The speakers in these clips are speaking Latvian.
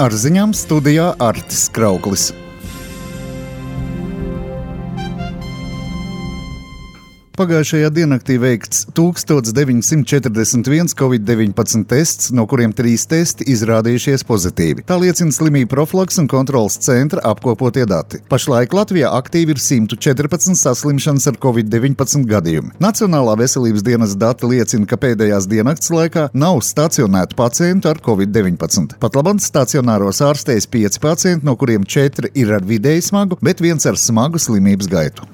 Ar ziņām studijā Artis Krauklis. Pagājušajā diennaktī veikts 1941 Covid-19 tests, no kuriem 3 testi izrādījušies pozitīvi. Tā liecina slimību profilakses un kontroles centra apkopotie dati. Pašlaik Latvijā aktīvi ir 114 saslimšanas ar Covid-19 gadījumi. Nacionālā veselības dienas dati liecina, ka pēdējās diennakts laikā nav stacionētu pacientu ar Covid-19. Patlaban stacionāros ārstējas 5 pacienti, no kuriem 4 ir ar vidēji smagu, bet 1 ar smagu slimības gaitu.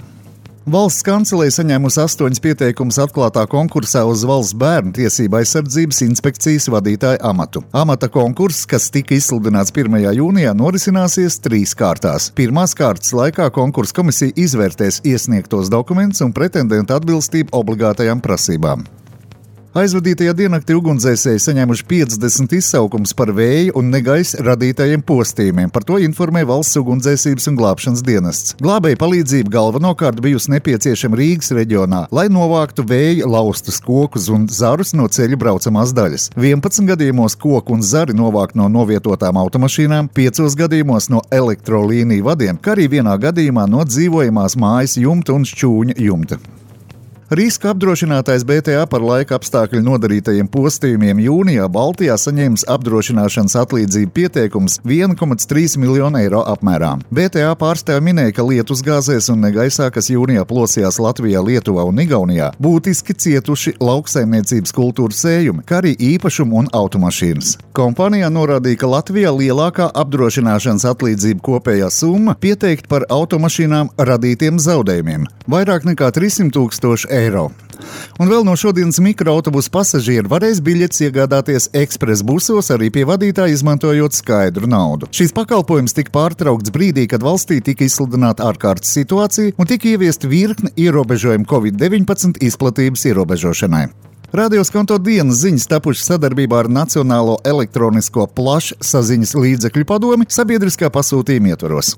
Valsts kancelēja saņēmusi 8 pieteikumus atklātā konkursā uz valsts bērnu tiesību aizsardzības inspekcijas vadītāja amatu. Amata konkurss, kas tika izsludināts 1. jūnijā, norisināsies 3 kārtās. Pirmās kārtas laikā konkursa komisija izvērtēs iesniegtos dokumentus un pretendentu atbilstību obligātajām prasībām. Aizvadītajā diennaktī ugunsdzēsēji saņēmuši 50 izsaukumus par vēja un negaisa radītajiem postījumiem. Par to informē Valsts ugunsdzēsības un glābšanas dienests. Glābēja palīdzība galvenokārt bijusi nepieciešama Rīgas reģionā, lai novāktu vēja laustus kokus un zarus no ceļu braucamās daļas. 11 gadījumos koku un zari novākt no novietotām automašīnām, 5 gadījumos no elektrolīniju vadiem, kā arī 1 gadījumā no dzīvojamās mājas jumta un šķūņa jumta. Riska apdrošinātājs BTA par laika apstākļu nodarītajiem postījumiem jūnijā Baltijā saņēmis apdrošināšanas atlīdzību pieteikums 1,3 miljonu eiro apmērā. BTA pārstāvji minēja, ka lietusgāzēs un negaisā, kas jūnijā plosījās Latvijā, Lietuvā un Igaunijā, būtiski cietuši lauksaimniecības kultūras sējumi, kā arī īpašumu un automašīnas. Kompānijā norādīja, ka Latvijā lielākā apdrošināšanas atlīdzība kopējā summa pieteikt par automašīnām radītiem zaudējumiem – vairāk nekā 300 000 eiro. Un vēl no šodienas mikroautobusu pasažieri varēs biļetes iegādāties ekspres busos arī pie vadītāja, izmantojot skaidru naudu. Šīs pakalpojums tika pārtraukts brīdī, kad valstī tika izsludināta ārkārtas situācija un tika ieviesta virkne ierobežojumu Covid-19 izplatības ierobežošanai. Radioskonto dienas ziņas tapušas sadarbībā ar Nacionālo elektronisko plašsaziņas līdzekļu padomi sabiedriskā pasūtījuma ietvaros.